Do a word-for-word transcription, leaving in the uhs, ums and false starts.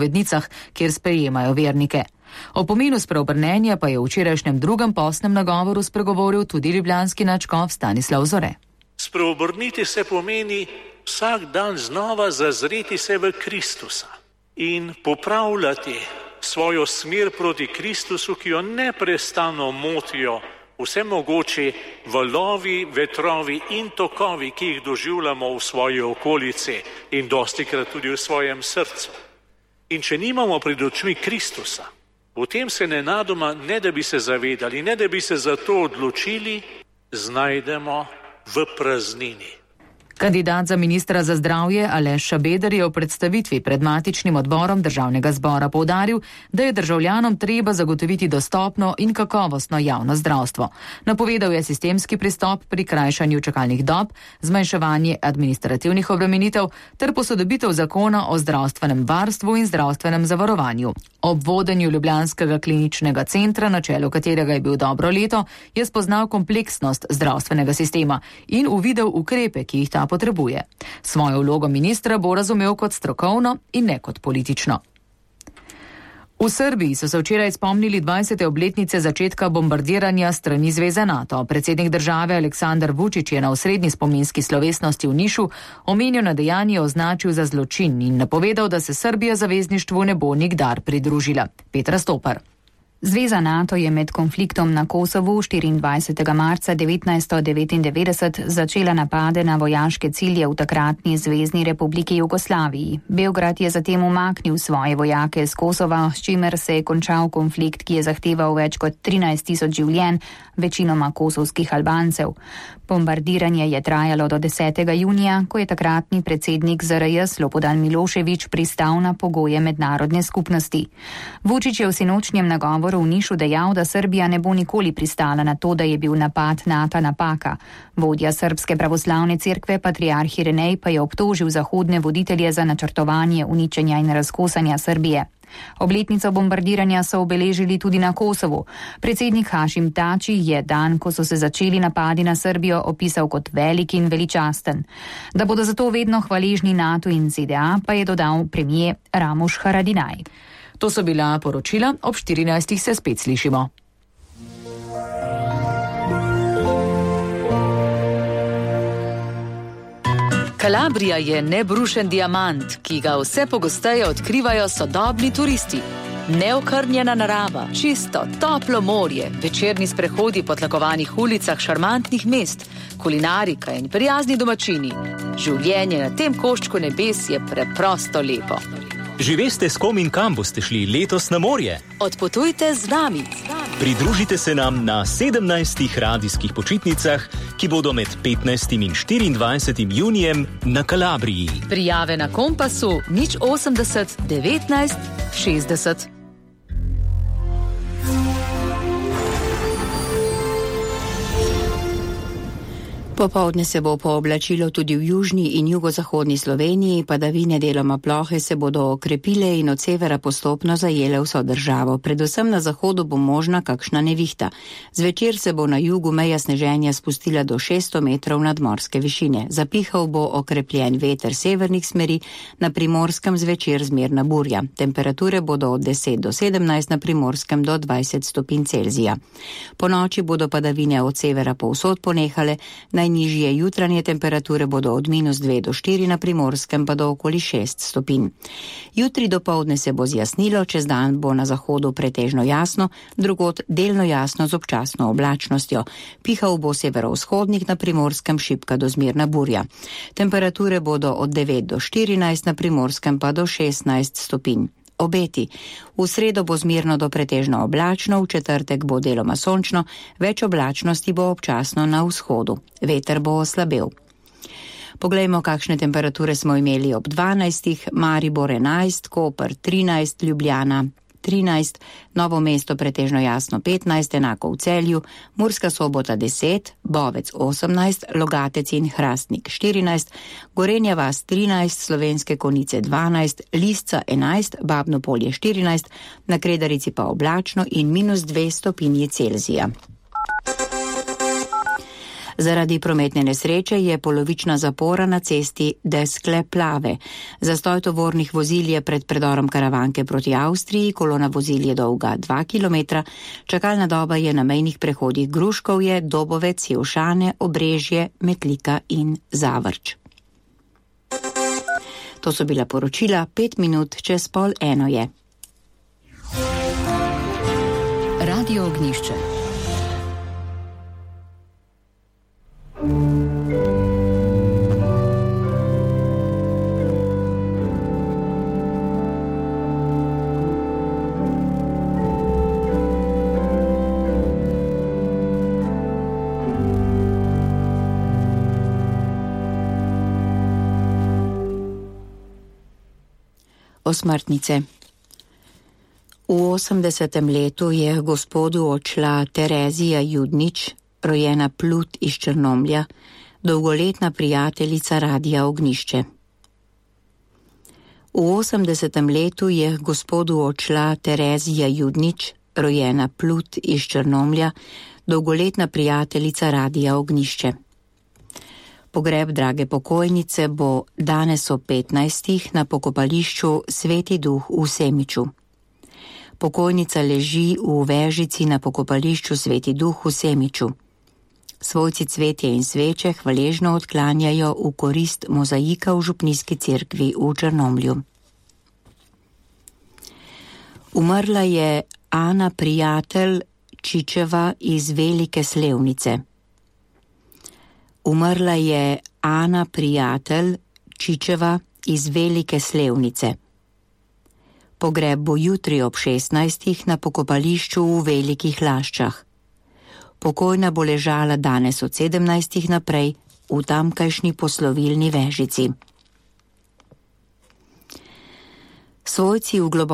vednicah, kjer sprejemajo vernike. O pomenu spreobrnenja pa je v včerajšnjem drugem postnem nagovoru spregovoril tudi ljubljanski nadškof Stanislav Zore. Spreobrniti se pomeni vsak dan znova zazreti se v Kristusa in popravljati svojo smer proti Kristusu, ki jo neprestano motijo vse mogoči valovi, vetrovi in tokovi, ki jih doživljamo v svoji okolici in dostikrat tudi v svojem srcu. In če nimamo pred očmi Kristusa, potem se nenadoma, ne da bi se zavedali, ne da bi se za to odločili, znajdemo v praznini. Kandidat za ministra za zdravje Aleš Šabeder je v predstavitvi pred matičnim odborom državnega zbora poudaril, da je državljanom treba zagotoviti dostopno in kakovostno javno zdravstvo. Napovedal je sistemski pristop pri krajšanju čakalnih dob, zmanjševanje administrativnih obremenitev ter posodobitev zakona o zdravstvenem varstvu in zdravstvenem zavarovanju. Ob vodenju ljubljanskega kliničnega centra, na čelu katerega je bil dobro leto, je spoznal kompleksnost zdravstvenega sistema in uvidel ukrepe, ki jih ta potrebuje. Svojo vlogo ministra bo razumel kot strokovno in ne kot politično. V Srbiji so se včeraj spomnili dvajsete obletnice začetka bombardiranja strani Zveze NATO. Predsednik države Aleksandar Vučić je na osrednji spominski slovesnosti v Nišu omenjeno dejanje označil za zločin in napovedal, da se Srbija zavezništvu ne bo nikdar pridružila. Petra Stopar. Zveza NATO je med konfliktom na Kosovu štiriindvajsetega marca devetnajststo devetindevetdeset začela napade na vojaške cilje v takratni Zvezni republiki Jugoslaviji. Beograd je zatem umaknil svoje vojake z Kosova, s čimer se je končal konflikt, ki je zahteval več kot trinajst tisoč življenj, večinoma kosovskih Albancev. Bombardiranje je trajalo do desetega junija, ko je takratni predsednik Z R J Slobodan Milošević pristal na pogoje mednarodne skupnosti. Vučić je v sinočnjem nagovoru v Nišu dejal, da Srbija ne bo nikoli pristala na to, da je bil napad NATO napaka. Vodja Srbske pravoslavne cerkve, patriarh Irinej, pa je obtožil zahodne voditelje za načrtovanje uničenja in razkosanja Srbije. Obletnico bombardiranja so obeležili tudi na Kosovu. Predsednik Hašim Tači je dan, ko so se začeli napadi na Srbijo, opisal kot velik in veličasten. Da bodo zato vedno hvaležni NATO in Z D A, pa je dodal premijer Ramuš Haradinaj. To so bila poročila, ob štirinajstih se spet slišimo. Kalabrija je nebrušen diamant, ki ga vse pogosteje odkrivajo sodobni turisti. Neokrnjena narava, čisto, toplo morje, večerni sprehodi po tlakovanih ulicah šarmantnih mest, kulinarika in prijazni domačini. Življenje na tem koščku nebes je preprosto lepo. Že veste, s kom in kam boste šli letos na morje? Odpotujte z nami. Pridružite se nam na sedemnajstih radijskih počitnicah, ki bodo med petnajstim in štiriindvajsetim junijem na Kalabriji. Prijave na Kompasu nič osemdeset devetnajst šestdeset. Popoldne se bo pooblačilo tudi v južni in jugozahodni Sloveniji, padavine deloma plohe se bodo okrepile in od severa postopno zajele vso državo. Predvsem na zahodu bo možna kakšna nevihta. Zvečer se bo na jugu meja sneženja spustila do šeststo metrov nadmorske višine. Zapihal bo okrepljen veter severnih smeri, na Primorskem zvečer zmerna burja. Temperature bodo od deset do sedemnajst, na Primorskem do dvajset stopinj Celzija. Po noči bodo padavine od severa povsod ponehale, najnižje jutranje temperature bodo od minus dve do štiri, na Primorskem pa do okoli šest stopinj. Jutri dopoldne se bo zjasnilo, čez dan bo na zahodu pretežno jasno, drugod delno jasno z občasno oblačnostjo. Pihal bo severovzhodnik, na Primorskem šibka do zmerna burja. Temperature bodo od devet do štirinajst, na Primorskem pa do šestnajst stopinj. Obeti. V sredo bo zmerno do pretežno oblačno, v četrtek bo deloma sončno, več oblačnosti bo občasno na vzhodu. Veter bo oslabel. Poglejmo, kakšne temperature smo imeli ob dvanajstih, Maribor enajst, Koper trinajst, Ljubljana trinajst, Novo mesto pretežno jasno petnajst, enako v Celju, Murska Sobota deset, Bovec osemnajst, Logatec in Hrastnik štirinajst, Gorenja vas trinajst, Slovenske Konjice dvanajst, Lisca enajst, Babno Polje štirinajst, na Kredarici pa oblačno in minus dve stopinji Celzija. Zaradi prometne nesreče je polovična zapora na cesti Deskle-Plave. Zastoj tovornih vozil je pred predorom Karavanke proti Avstriji, kolona vozil je dolga dva kilometra, čakalna doba je na mejnih prehodih Gruškovje, Dobovec, Jevšane, Obrežje, Metlika in Zavrč. To so bila poročila, pet minut čez pol eno je. Radio Ognjišče. Osmrtnice. V osemdesetem letu je gospodu odšla Terezija Judnič, rojena Plut iz Črnomlja, dolgoletna prijateljica Radia Ognjišče. V osemdesetem letu je gospodu odšla Terezija Judnič, rojena Plut iz Črnomlja, dolgoletna prijateljica Radia Ognjišče. Pogreb drage pokojnice bo danes ob petnajstih na pokopališču Sveti Duh v Semiču. Pokojnica leži v vežici na pokopališču Sveti Duh v Semiču. Svojci cvetje in sveče hvaležno odklanjajo v korist mozaika v župnijski cerkvi v Črnomlju. Umrla je Ana Prijatelj Čičeva iz Velike Slevnice. Umrla je Ana Prijatelj Čičeva iz Velike Slevnice. Pogreb bo jutri ob šestnajstih na pokopališču v Velikih Laščah. Pokojna bo ležala danes od sedemnajstih naprej v tamkajšnji poslovilni vežici. Svojci v globokem